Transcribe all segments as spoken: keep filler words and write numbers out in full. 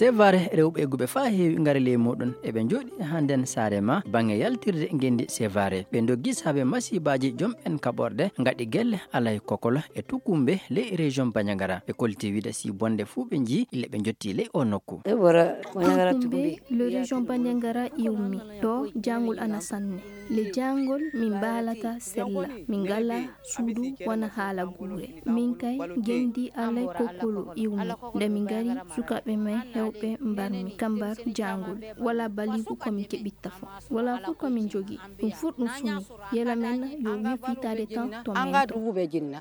Sevare, rewɓe egguɓe faa heewi ngari ley muuɗum. Eɓe njooɗii hannden Saare Maa, baŋŋe yaltirde ngenndi Sevare. Ɓe ndoggi saabe masiibaaji jom'en kaɓorɗe, ngaɗi gelle alay kokolo e tukumbe ley région Bandiagara. Ɓe kollitii wiide si bonde fuu ɓe njii, ille ɓe njottii ley oo nokku. Tukumbe, le région Bandiagara iwmi. Ɗo jaangol ana sanne. Le jaangol min mbaalata sella. Min ngalaa suudu wona haala guure. Min kay ngenndi alay kokolo iwmi. Nde min ngari, sukaaɓe men heewɓe mbarmi ka mbar jaangol. Walaa baliigu ko min keɓitta fof. Walaa fof ko min njogii. Ɗum fof ɗum sumi. Yela men yo wirfitaade tan to men to.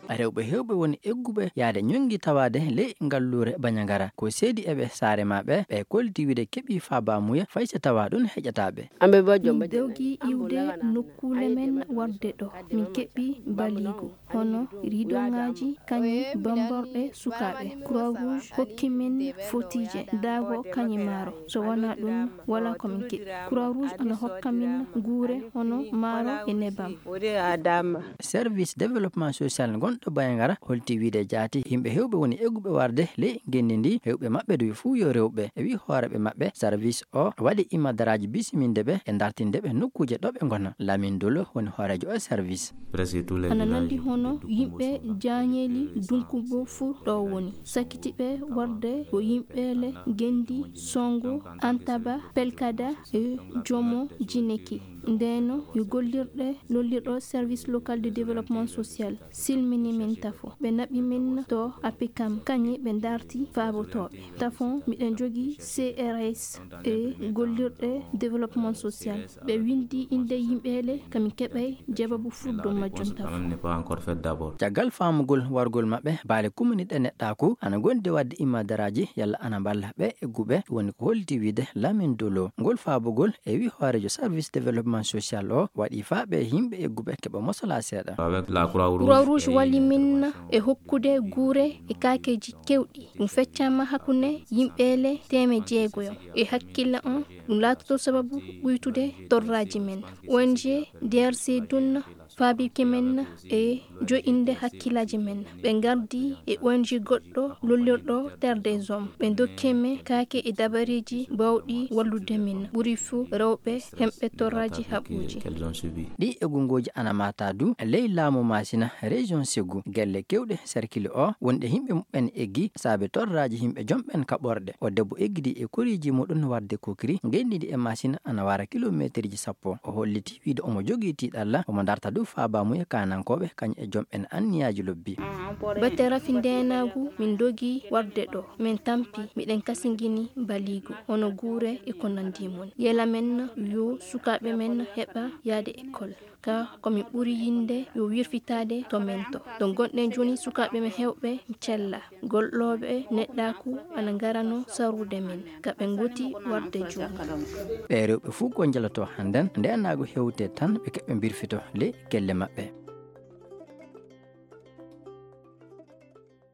Rewɓe heewɓe woni egguɓe yahde ñoŋki tawaade ley ngalluure Bandiagara. Ko seedi e ɓe Saare Maa ɓe, ɓe kollitii wiide keɓii faabaamuya fay so tawaa ɗum heƴataa ɓe. Min ndogii iwde nokkuule men warde ɗo. Min keɓii baliigu, hono ridoŋaaji, kañum bamborɗe sukaaɓe. Croix Rouge hokki min fotiije, daago, kañum maaro. So wonaa ɗum, walaa ko min keɓi. Croix Rouge ana hokka min guure hono maaro e nebam. Service développement social gonɗo Bandiagara holti wiide jaati yimɓe heewɓe woni egguɓe warde ley ngenndi ndi, heewɓe maɓɓe du fuu yo rewɓe. E wii hooreeɓe maɓɓe, service o waɗi imaadaraaji bisiminde ɓe e dartinde ɓe nokkuuje ɗo ɓe ngona. Lamin Dolo woni hooreejo o service. Ana nanndi hono yimɓe Jaañeeli Dunkubo fuu ɗo woni. Sakkitiiɓe warde ko yimɓeele Ngenndi, Songo, Antaba, Pelkada e Jomo Jineki. Ndeen yo gollirɗe lollirɗo service local de développement social silmini min tafo. Ɓe naɓi min to APECAM, kañum ɓe darti faabotooɓe. Tafon miɗen njogii C R S e gollirɗe développement social. Ɓe winndi innde yimɓeele, ka min keɓay jawabu fuu dow majjum tafo. Caggal faamugol wargol maɓɓe, baale kuminiiɗe neɗɗaaku ana ngondi waɗde imaadaraaji yalla ana mballa ɓe egguɓe, woni ko holti wiide Lamin Dolo. Ngol faabugol e wii hooreejo service développement social o waɗi faa ɓe yimɓe egguɓe keɓa mosola seeɗa. Croix Rouge walli min e hokkude guure e kaakeeji keewɗi. Ɗum feccaama hakkunde yimɓeele teemeɗɗe jeegoyo. E hakkille on, ɗum laatoto sababu ɓuytude torraaji men. O N G D R C dun faabike men e jo'inde hakkillaaji men. Ɓe ngardi e O N G goɗɗo lollirɗo Terre des Hommes. Ɓe ndokki men kaake e dabareeji baawɗi wallude men, ɓuri fuu rewɓe hemɓe torraaji haɓuuji. Ɗi eggungooji ana maata du ley laamu Maasina, région Ségou. Gelle keewɗe cercle o wonɗe yimɓe muɓɓen eggi saabe torraaji yimɓe jomɓen kaɓorɗe. O debbo eggidi e koriiji muɗum warde Kokiri, ngenndi ndi e Maasina ana wara kilomeeterji sappo. O holliti wiide omo jogii tiiɗalla, omo darta du faabaamuya kaanankooɓe kañum e jomɓen anniyaaji lobbi. Batte rafi ndeenaagu, min ndogi warde ɗo, min tampi, miɗen kasingini baliigu, hono guure e ko nanndi mum. Yela men yo sukaaɓe men heɓa yahde école. Ka ko min ɓuri yiɗde yo wirfitaade to men to. To ngonɗen jooni, sukaaɓe men heewɓe cella, gollooɓe neɗɗaaku ana ngarano sarude men, ka ɓe ngoti warde jooni. Ɓee rewɓe fuu ko njaloto hannden, ndeenaagu hewte tan ɓe keɓa mbirfito ley gelle maɓɓe.